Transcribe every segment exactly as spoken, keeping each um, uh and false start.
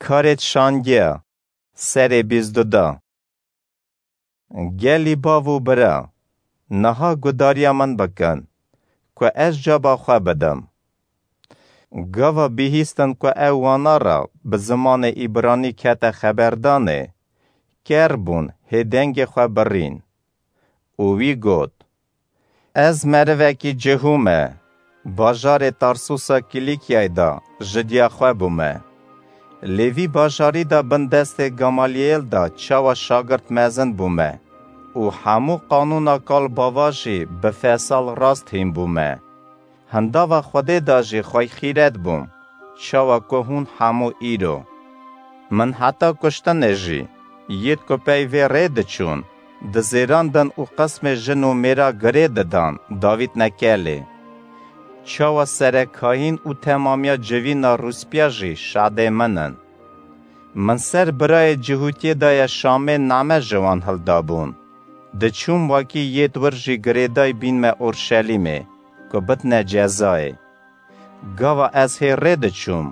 Karê Şangiya, serê bîst du da. Gelî bav û bira, niha gudariya min bikin, ku ez caba xwe bidim. Gava bihîstin ku ew wana re bi zimanê îbranî kete xeberdanê, ker bûn, hê dengê xwe birîn. Û wî got, Ez merivekî cihû me, bajarê Tarsusa Kîlîkyayê de ji diya xwe bûme. Lê vî bajarî de bin destê Gamaliyêl de çawa şagirt mezin bûme û hemû qanûna kal bava jî bi fesal rast hîn bûme. Hindava Xwedê de jî xwey xîret bûm, çawa ku hûn hemû îro. Min heta kuştinê jî, yêt ku pey vê rê diçûn, dizêrandin û qismê jin û mêra girê didan, davîtne kelê. Çawa serekayîn û temamiya civîna rûspîya jî şadê min in. Min ser birayê cihûtiyê daye Şamê name ji wan hildabûn. Diçûm wekî yêt wir jî girêday bînme Orşelîmê, ku bitne cezayê. Gava ez hê rê diçûm,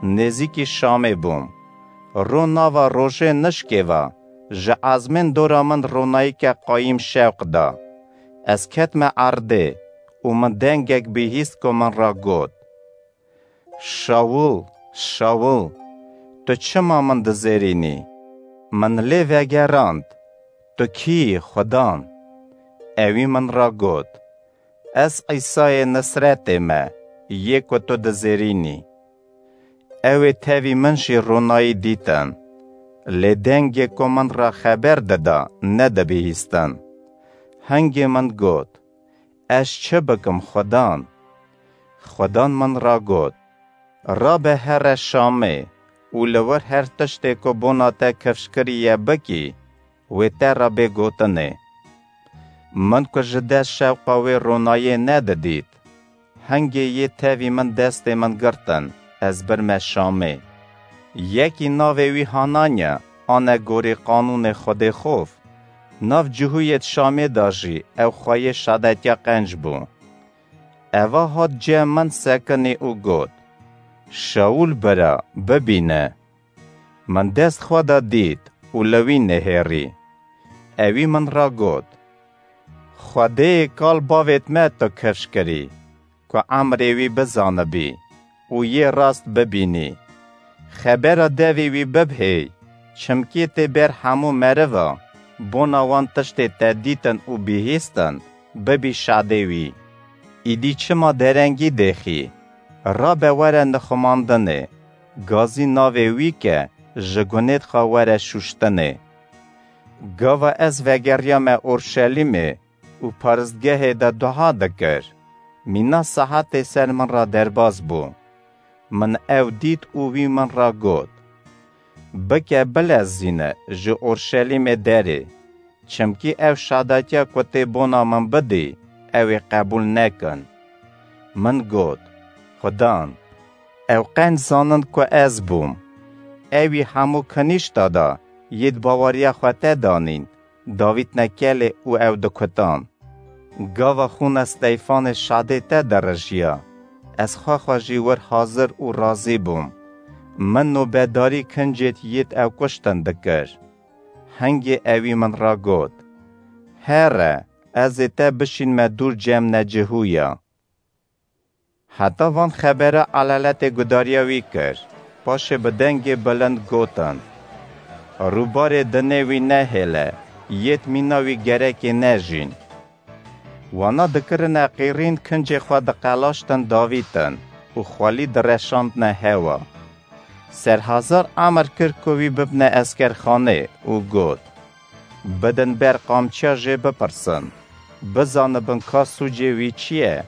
nêzîkî Şamê bûm. Ro nava rojê nişkê ve, ji ezmên dora min ronayîke qayîm şewq da. Ez ketme erdê û min dengek bihîst ku min re got, Şawul, Şawul, tu çima min dizêrînî? Min lê vegerand, Tu kî yî, Xudan? Ewî min re got, Ez Îsayê Nisretê me, yê ku tu dizêrînî. Ew ê tevî min jî ronayî dîtin, lê dengê ku min re xeber dida, nedibihîstin. Hingê min got, Ez çi bikim, Xudan? Xudan min re got, Rabe here Şamê û li wir her tiştê ku bona te kifş kiriye bikî, wê te re bê gotinê. Min ku ji dest şewqa wê ronayê nedidît, hingê yê tevî min destê min girtin, ez birme Şamê. Yekî navê wî Hananya, ane gorî qanûnê Xwedê xof, nav cihûyêt Şamê de jî ew xweyê şadetiya qenc bû. Eva hat cem min sekinî û got, Şawul bira, bibîne. Min dest xwe de dît û li wî nihêrî. Ewî min re got, Xwedêyê kal bavêt me tu kifş kirî, ku emrê wî bizanibî û yê rast bibînî. Xebera devê wî bibhêy, çimkî tê ber hemû meriva, bona wan tiştê te dîtin û bihîstin, bibî şadê wî. Îdî çima derengî dêxî? Rabe were nixumandinê, gazî navê wî ke ji gunêt xwe were şûştinê. Gava ez vegeriyame Orşelîmê û paristgehê de dua dikir, mîna sahetê ser min re derbas bû. Min ew dît û wî min re got, Bike bilezîne ji Orşelîmê derê, çimkî ew şadetiya ku tê bona min bidî, ew ê qebûl nekin. Min got, Xudan, ew qenc zanin ku ez bûm. Ewî hemû kinîşta da yêd baweriya xwe te danîn, davîtne kelê û ew dikutan. Gava xûna Steyfanê şadê te dirijiya, ez xwe xwe jî wir hazir û razî bûm. Min nobedarî kincêt yêt ew kuştin dikir. Hingê ewî min re got, Here, ez ê te bişînme dûr cem necihûya. Heta van xebera elaletê gudariya wî kir, paşê bi dengê bilind gotin, Rûbarê dinê wî nehêle, yêt mîna wî gerekê nejîn. Wana dikirine qîrîn kincê xwe diqelaştin davîtin û xwelî direşandne hewa. Serhazar emir kir ku wî bibne eskerxanê û got, Bidin ber qamçiya jê bipirsin, bizanibin ka sûcê wî çi ye,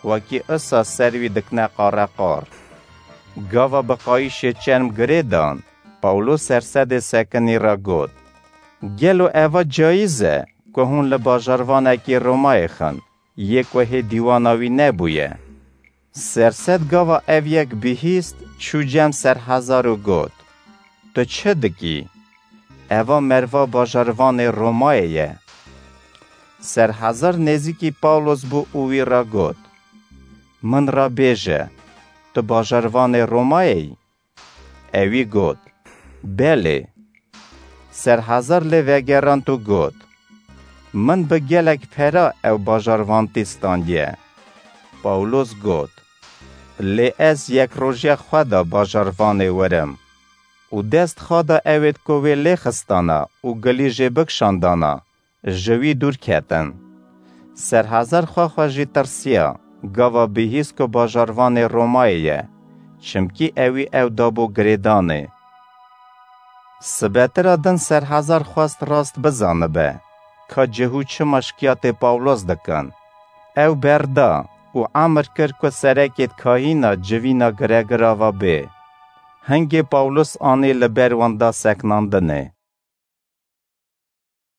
wekî isa ser wî dikine qareqar. Gava bi qayîşê çerm girê dan, Pawlo sersedê sekinî re got, Gelo eva cayîz e ku hûn li bajarvanekî Romayê xin, yê ku hê dîwana wî nebûye? Sersed gava ev yek bihîst, çû cem serhezar û got, Tu çi dikî? Eva merva bajarvanê Romayê ye. Serhezar nêzîkî Pawlos bû û wî re got, Min re bêje, tu bajarvanê Romayê yî? Ewî got, Belê. Serhezar lê vegerand û got, Min bi gelek pera ew bajarvantî standiye. Pawlos got, Lê ez yek rojiya xwe da bajarvanê werim û dest xwe da ewêd ku wê lê xistana û gilî jê bikişandana, ji wî dûr ketin. Serhezar xwe xwe jî tirsiya, gava bihîst ku bajarvanê Romayê ye, çimkî ewî ew dabû girêdanê. Sibetira din Serhezar xwest rast bizanibe, ka cihû çima şikiyatê Pawlos dikin. Ew berda û emir kir ku serekêd kahîna civîna giregirava bê. Hingê Pawlos anî li ber wan da seknandinê.